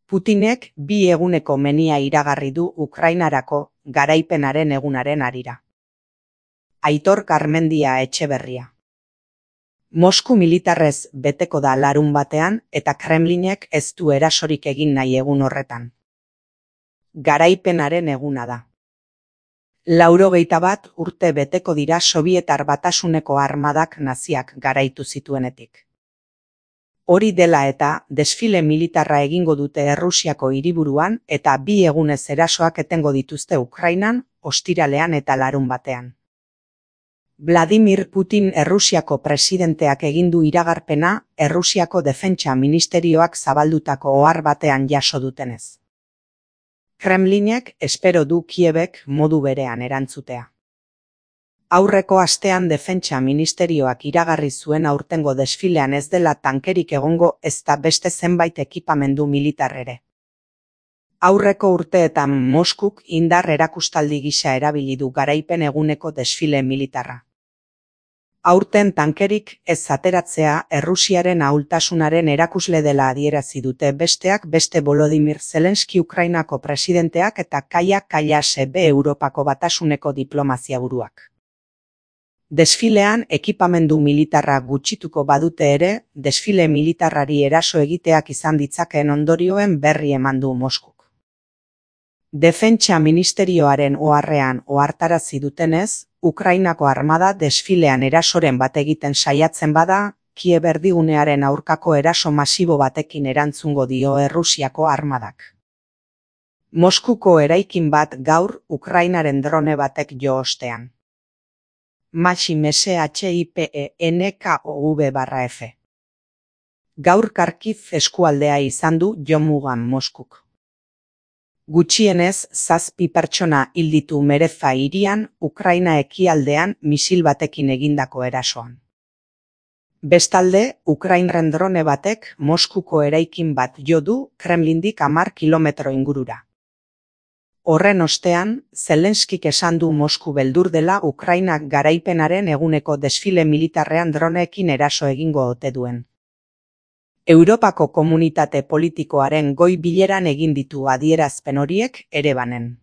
Putinek 2 eguneko menia iragarri du Ukrainarako garaipenaren egunaren harira. Aitor Garmendia Etxeberria. Mosku militarrez beteko da larunbatean eta Kremlinek ez du erasorik egin nahi egun horretan. Garaipenaren eguna da. 91 urte beteko dira Sobietar Batasuneko armadak naziak garaitu zituenetik. Hori dela eta desfile militarra egingo dute Errusiako hiriburuan eta 2 egunez erasoak etengo dituzte Ukrainan, ostiralean eta larunbatean. Vladimir Putin Errusiako presidenteak egin du iragarpena Errusiako Defentsa Ministerioak zabaldutako ohar batean jaso dutenez. Kremlinek espero du Kiebek modu berean erantzutea. Aurreko astean Defentsa Ministerioak iragarri zuen aurtengo desfilean ez dela tankerik egongo ezta beste zenbait ekipamendu militar ere. Aurreko urteetan Moskuk indar erakustaldi gisa erabili du garaipen eguneko desfile militarra. Aurten tankerik ez ateratzea Errusiaren ahultasunaren erakusle dela adierazi dute besteak beste Volodymyr Zelenski Ukrainako presidenteak eta Kaja Kallas Europako Batasuneko diplomazia buruak. Desfilean ekipamendu militarra gutxituko badute ere, desfile militarrari eraso egiteak izan ditzakeen ondorioen berri eman du Moskuk. Defentsa Ministerioaren oharrean ohartarazi dutenez, Ukrainako armada desfilean erasoren bat egiten saiatzen bada, Kiev erdigunearen aurkako eraso masibo batekin erantzungo dio Errusiako armadak. Moskuko eraikin bat gaur Ukrainaren drone batek jo ostean. MSHIPENKOV/F. Gaur Kharkiv eskualdea izan du jomugan Moskuk. Gutxienez 7 pertsona hil ditu Mereza hirian, Ukraina ekialdean misil batekin egindako erasoan. Bestalde, Ukrainaren drone batek Moskuko eraikin bat jo du Kremlindik 10 kilometro ingurura. Horren ostean, Zelenskik esan du Mosku beldur dela Ukrainak garaipenaren eguneko desfile militarrean droneekin eraso egingo ote duen. Europako komunitate politikoaren goi bileran egin ditu adierazpen horiek Erevanen.